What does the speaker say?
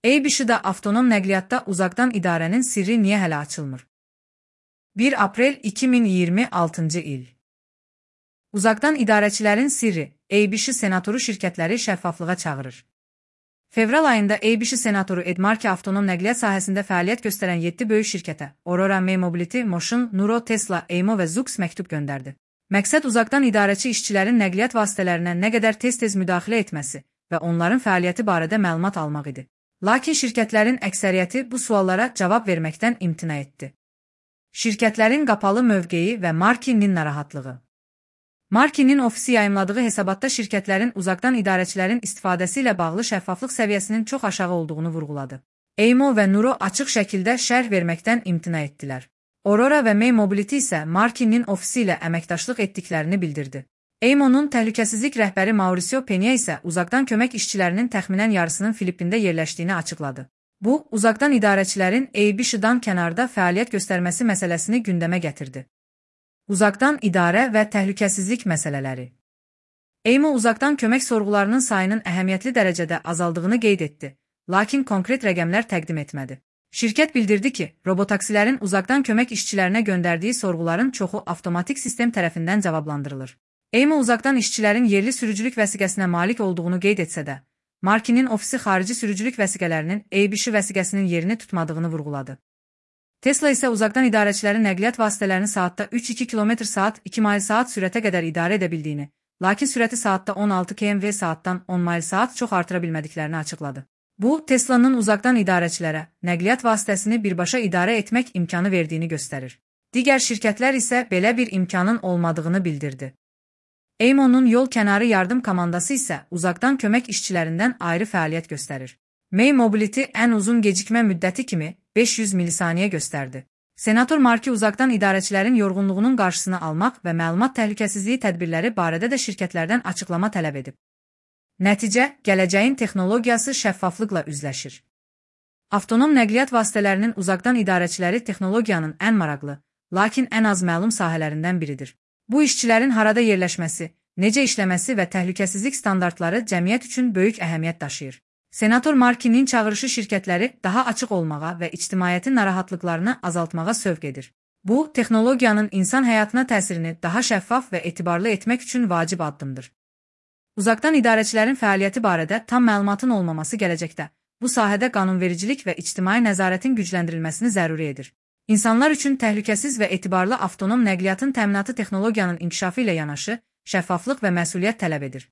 ABC-də avtonom nəqliyyatda uzaqdan idarənin sirri niyə hələ açılmır? 1 aprel 2026-cı il. Uzaqdan idarəçilərin sirri, ABC senatoru şirkətləri şəffaflığa çağırır. Fevral ayında ABC senatoru Ed Markey avtonom nəqliyyat sahəsində fəaliyyət göstərən 7 böyük şirkətə, Aurora Mobility, Motion, Nuro, Tesla, Waymo və Zoox məktub göndərdi. Məqsəd uzaqdan idarəçi işçilərin nəqliyyat vasitələrinə nə qədər tez-tez müdaxilə etməsi və onların fəaliyyəti barədə məlumat almaq idi. Lakin şirkətlərin əksəriyyəti bu suallara cavab verməkdən imtina etdi. Şirkətlərin qapalı mövqeyi və Markey'nin narahatlığı. Markey'nin ofisi yayımladığı hesabatda şirkətlərin uzaqdan idarəçilərin istifadəsi ilə bağlı şəffaflıq səviyyəsinin çox aşağı olduğunu vurğuladı. Waymo və Nuro açıq şəkildə şərh verməkdən imtina etdilər. Aurora və Mobility isə Markey'nin ofisi ilə əməkdaşlıq etdiklərini bildirdi. Waymo'nun təhlükəsizlik rəhbəri Mauricio Peña isə uzaqdan kömək işçilərinin təxminən yarısının Filippində yerləşdiyini açıqladı. Bu, uzaqdan idarəçilərin ABC-dan kənarda fəaliyyət göstərməsi məsələsini gündəmə gətirdi. Uzaqdan idarə və təhlükəsizlik məsələləri. Waymo uzaqdan kömək sorğularının sayının əhəmiyyətli dərəcədə azaldığını qeyd etdi, lakin konkret rəqəmlər təqdim etmədi. Şirkət bildirdi ki, robotaksilərin uzaqdan kömək işçilərinə göndərdiyi sorğuların çoxu avtomatik sistem tərəfindən cavablandırılır. Waymo uzaqdan işçilərin yerli sürücülük vəsiqəsinə malik olduğunu qeyd etsə də, Markey'nin ofisi xarici sürücülük vəsiqələrinin ABC vəsiqəsinin yerini tutmadığını vurğuladı. Tesla isə uzaqdan idarəçilərin nəqliyyat vasitələrini saatda 3-2 km/saat 2 mil/saat sürətə qədər idarə edə bildiyini, lakin sürəti saatda 16 km/v saatdan 10 mil/saat çox artıra bilmədiklərini açıqladı. Bu, Tesla'nın uzaqdan idarəçilərə nəqliyyat vasitəsini birbaşa idarə etmək imkanı verdiyini göstərir. Digər şirkətlər isə belə bir imkanın olmadığını bildirdi. Waymo'nun yol kənarı yardım komandası isə uzaqdan kömək işçilərindən ayrı fəaliyyət göstərir. Mobility ən uzun gecikmə müddəti kimi 500 milisaniyə göstərdi. Senator Markey uzaqdan idarəçilərin yorğunluğunun qarşısını almaq və məlumat təhlükəsizliyi tədbirləri barədə də şirkətlərdən açıqlama tələb edib. Nəticə, gələcəyin texnologiyası şəffaflıqla üzləşir. Avtonom nəqliyyat vasitələrinin uzaqdan idarəçiləri texnologiyanın ən maraqlı, lakin ən az məlum sahələrindən biridir. Bu işçilərin harada yerləşməsi, necə işləməsi və təhlükəsizlik standartları cəmiyyət üçün böyük əhəmiyyət daşıyır. Senator Markey'nin çağırışı şirkətləri daha açıq olmağa və ictimaiyyətin narahatlıqlarını azaltmağa sövq edir. Bu, texnologiyanın insan həyatına təsirini daha şəffaf və etibarlı etmək üçün vacib addımdır. Uzaqdan idarəçilərin fəaliyyəti barədə tam məlumatın olmaması gələcəkdə bu sahədə qanunvericilik və ictimai nəzarətin gücləndirilməsini zəruri edir. İnsanlar üçün təhlükəsiz və etibarlı avtonom nəqliyyatın təminatı texnologiyanın inkişafı ilə yanaşı, şəffaflıq və məsuliyyət tələb edir.